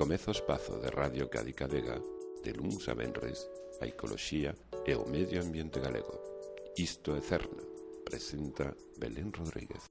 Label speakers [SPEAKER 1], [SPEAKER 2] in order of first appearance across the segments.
[SPEAKER 1] Comeza o espazo de Radio Cádiz Vega de luns a venres a ecoloxía e o medio ambiente galego. Isto é Cerna, presenta Belén Rodríguez.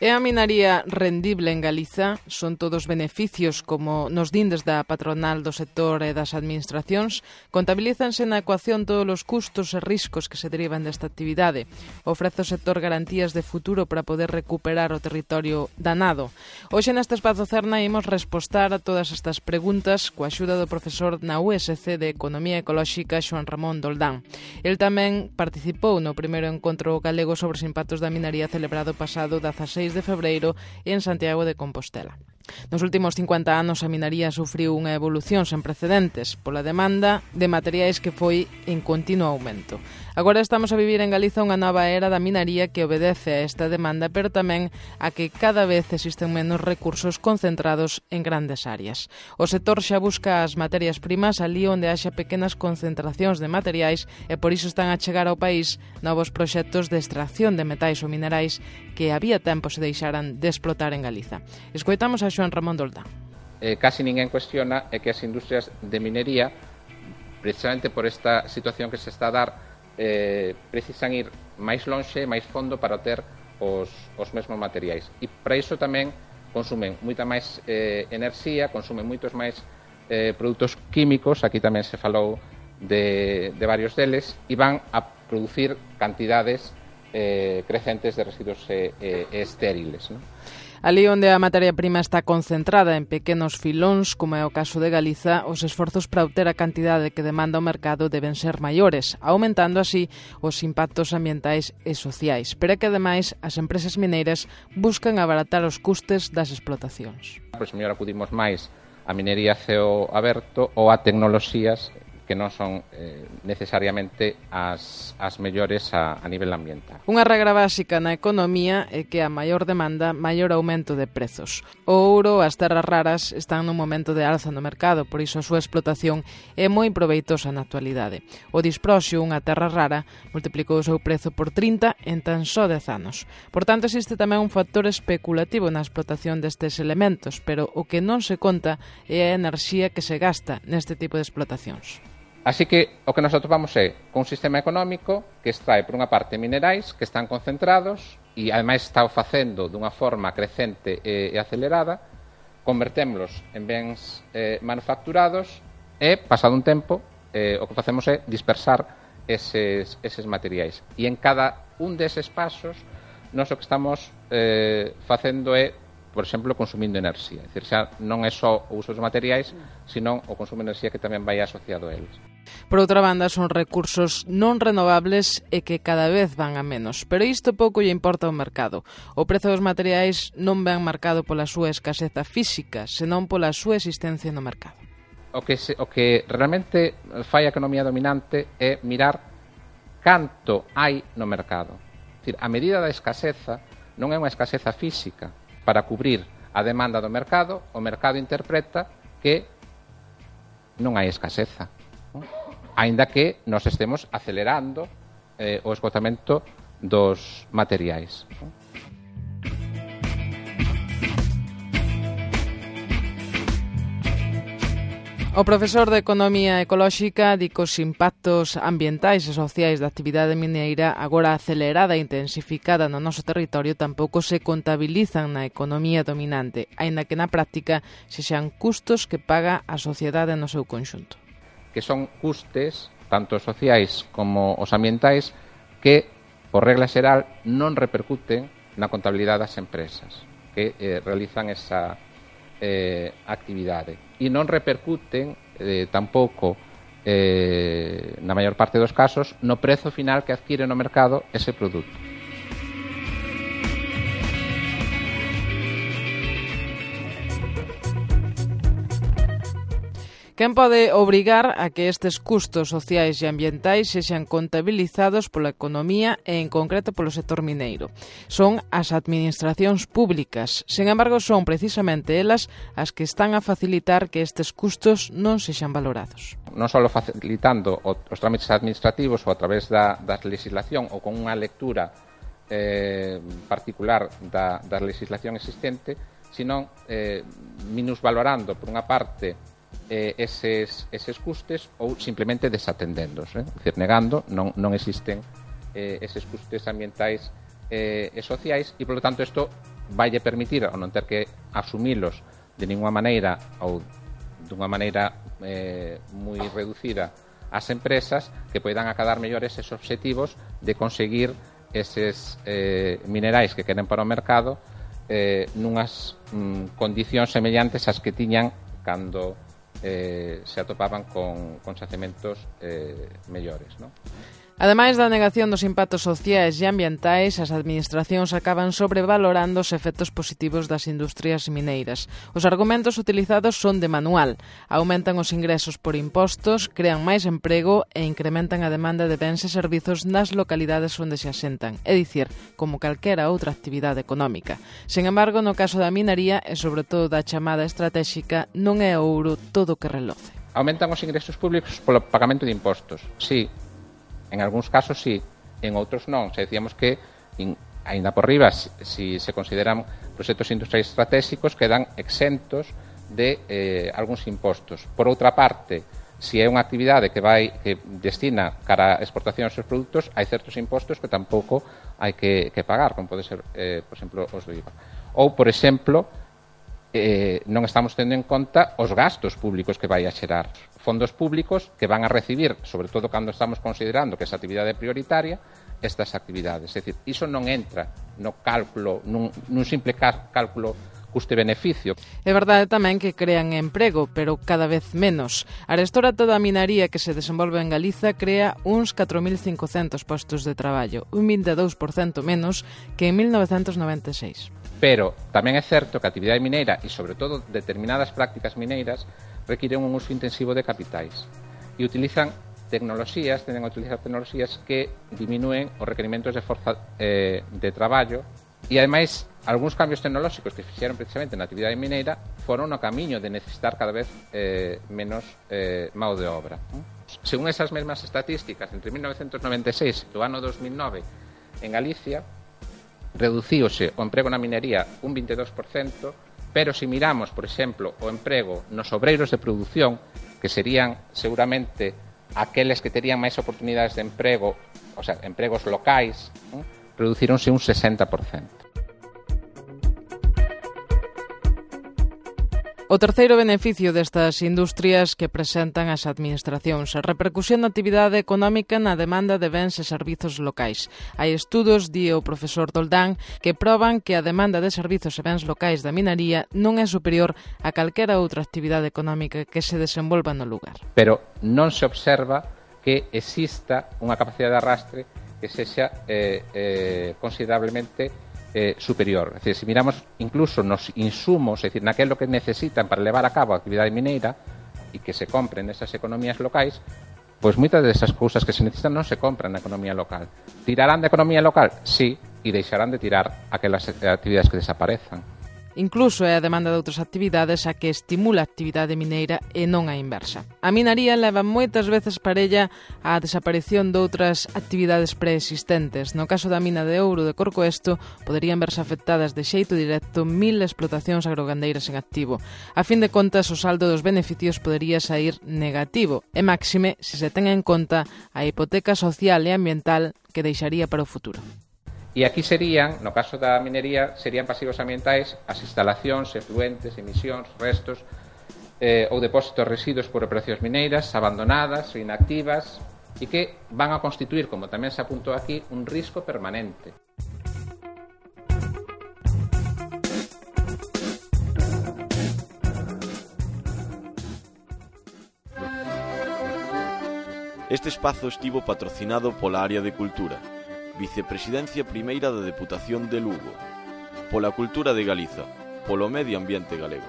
[SPEAKER 2] É a minaría rendible en Galiza? Son todos beneficios, como nos din desde a patronal do sector e das administracións? Contabilízanse na ecuación todos os custos e riscos que se derivan desta actividade? Ofrece o sector garantías de futuro para poder recuperar o territorio danado? Hoxe neste espazo Cerna imos respostar a todas estas preguntas coa axuda do profesor na USC de Economía Ecolóxica, Xoán Ramón Doldán. El tamén participou no primeiro encontro galego sobre os impactos da minaría celebrado pasado 16 de febreiro en Santiago de Compostela. Nos últimos 50 anos a minaría sufriu unha evolución sen precedentes pola demanda de materiais que foi en continuo aumento. Agora estamos a vivir en Galiza unha nova era da minaría que obedece a esta demanda, pero tamén a que cada vez existen menos recursos concentrados en grandes áreas. O sector xa busca as materias primas ali onde haxa pequenas concentracións de materiais e por iso están a chegar ao país novos proxectos de extracción de metais ou minerais que había tempo se deixaran de explotar en Galiza. Escoitamos a Xoán Ramón Doldán.
[SPEAKER 3] Casi ninguén cuestiona é que as industrias de minería, precisamente por esta situación que se está a dar, precisan ir máis lonxe, máis fondo para ter os mesmos materiais. E para iso tamén consumen moita máis enerxía, consumen moitos máis produtos químicos, aquí tamén se falou de varios deles, e van a producir cantidades crecentes de residuos estériles, non?
[SPEAKER 2] Ali onde a materia prima está concentrada en pequenos filóns, como é o caso de Galiza, os esforzos para obter a cantidade que demanda o mercado deben ser maiores, aumentando así os impactos ambientais e sociais. Pero é que, ademais, as empresas mineiras buscan abaratar os custes das explotacións.
[SPEAKER 3] Pois mellor acudimos máis a minería a ceo aberto ou a tecnoloxías que non son necesariamente as mellores a nivel ambiental.
[SPEAKER 2] Unha regra básica na economía é que a maior demanda, maior aumento de prezos. O ouro, as terras raras, están nun momento de alza no mercado, por iso a súa explotación é moi proveitosa na actualidade. O disproxio, unha terra rara, multiplicou o seu prezo por 30 en tan só 10 anos. Por tanto, existe tamén un factor especulativo na explotación destes elementos, pero o que non se conta é a enerxía que se gasta neste tipo de explotacións.
[SPEAKER 3] Así que o que nos atopamos é con un sistema económico que extrae, por unha parte, minerais que están concentrados e, ademais, está o facendo dunha forma crecente e acelerada, convertémoslos en bens manufacturados e, pasado un tempo, o que facemos é dispersar eses materiais. E en cada un deses pasos, nós o que estamos facendo é, por exemplo, consumindo enerxía. É dicir, xa non é só o uso dos materiais, senón o consumo de enerxía que tamén vai asociado a eles.
[SPEAKER 2] Por outra banda, son recursos non renovables e que cada vez van a menos. Pero isto pouco lle importa ao mercado. O prezo dos materiais non ven marcado pola súa escaseza física, senón pola súa existencia no mercado.
[SPEAKER 3] O que realmente fai a economía dominante é mirar canto hai no mercado. É dicir, a medida da escaseza non é unha escaseza física. Para cubrir a demanda do mercado, o mercado interpreta que non hai escaseza, non? Aínda que nos estemos acelerando o esgotamento dos materiais, non?
[SPEAKER 2] O profesor de Economía Ecolóxica di que os impactos ambientais e sociais da actividade mineira agora acelerada e intensificada no noso territorio tampouco se contabilizan na economía dominante, aínda que na práctica sexan custos que paga a sociedade no seu conxunto.
[SPEAKER 3] Que son custes, tanto sociais como os ambientais, que, por regla xeral, non repercuten na contabilidade das empresas que realizan esa actividade. E non repercuten tampouco, na maior parte dos casos, no prezo final que adquire no mercado ese produto.
[SPEAKER 2] Quen pode obrigar a que estes custos sociais e ambientais sexan contabilizados pola economía e en concreto polo sector mineiro? Son as administracións públicas. Sen embargo, son precisamente elas as que están a facilitar que estes custos non sexan valorados.
[SPEAKER 3] Non só facilitando os trámites administrativos ou a través da legislación ou con unha lectura particular da legislación existente, sino minusvalorando, por unha parte, eses custes ou simplemente desatendéndos, é dicir, negando, non existen eses custes ambientais e sociais e, polo tanto, isto vai permitir ao non ter que asumilos de ninguna maneira ou dunha maneira moi reducida ás empresas que poidan acadar mellores eses obxectivos de conseguir eses minerais que queren para o mercado nunhas condicións semellantes ás que tiñan cando se atopaban con xacementos mellores, non?
[SPEAKER 2] Ademais da negación dos impactos sociais e ambientais, as administracións acaban sobrevalorando os efectos positivos das industrias mineiras. Os argumentos utilizados son de manual. Aumentan os ingresos por impostos, crean máis emprego e incrementan a demanda de bens e servizos nas localidades onde se asentan, é dicir, como calquera outra actividade económica. Sen embargo, no caso da minería e sobre todo da chamada estratéxica, non é ouro todo o que reloce.
[SPEAKER 3] Aumentan os ingresos públicos polo pagamento de impostos, sí. En algúns casos sí, en outros non. Se decíamos que, aínda por riba, si se consideran proxectos industriais estratégicos, quedan exentos de algúns impostos. Por outra parte, se é unha actividade que destina cara a exportación dos seus produtos, hai certos impostos que tampouco hai que pagar, como pode ser, por exemplo, os do IVA. Ou, por exemplo, non estamos tendo en conta os gastos públicos que vai a xerar. Fondos públicos que van a recibir, sobre todo cando estamos considerando que esa actividade é prioritaria, estas actividades. É dicir, iso non entra no cálculo, nun simple cálculo custe-beneficio.
[SPEAKER 2] É verdade tamén que crean emprego, pero cada vez menos. Arestora toda a minería que se desenvolve en Galiza crea uns 4.500 postos de traballo, un 22% menos que en 1996.
[SPEAKER 3] Pero tamén é certo que a actividade mineira e, sobre todo, determinadas prácticas mineiras requiren un uso intensivo de capitais e tenden a utilizar tecnoloxías que diminúen os requerimentos de forza de traballo e, ademais, algúns cambios tecnolóxicos que fixeron precisamente na actividade mineira foron no camiño de necesitar cada vez menos mão de obra. Según esas mesmas estatísticas, entre 1996 e o ano 2009 en Galicia reducíose o emprego na minería un 22%, pero se miramos, por exemplo, o emprego nos obreiros de produción, que serían seguramente aqueles que terían máis oportunidades de emprego, o sea, empregos locais, reducíronse un 60%.
[SPEAKER 2] O terceiro beneficio destas industrias que presentan as administracións, a repercusión da actividade económica na demanda de bens e servizos locais. Hai estudos, di o profesor Doldán, que proban que a demanda de servizos e bens locais da minería non é superior a calquera outra actividade económica que se desenvolva no lugar.
[SPEAKER 3] Pero non se observa que exista unha capacidade de arrastre que sexa considerablemente superior. Es decir, si miramos incluso nos insumos, es decir, naquelo que necesitan para levar a cabo a actividade mineira e que se compren nesas economías locais, pois moitas desas cousas que se necesitan non se compran na economía local. Tirarán da economía local? Sí, e deixarán de tirar aquelas actividades que desaparezan.
[SPEAKER 2] Incluso é a demanda de outras actividades a que estimula a actividade mineira e non a inversa. A minería leva moitas veces parella á desaparición de outras actividades preexistentes. No caso da mina de ouro de Corcoesto, poderían verse afectadas de xeito directo 1000 explotacións agrogandeiras en activo. A fin de contas, o saldo dos beneficios podería sair negativo, e máxime se se ten en conta a hipoteca social e ambiental que deixaría para o futuro.
[SPEAKER 3] E aquí serían, no caso da minería, serían pasivos ambientais as instalacións, efluentes, emisións, restos ou depósitos residuos por operacións mineiras abandonadas ou inactivas e que van a constituir, como tamén se apuntou aquí, un risco permanente.
[SPEAKER 4] Este espazo estivo patrocinado pola Área de Cultura, Vicepresidencia Primeira da Deputación de Lugo, pola Cultura de Galiza, polo Medio Ambiente Galego.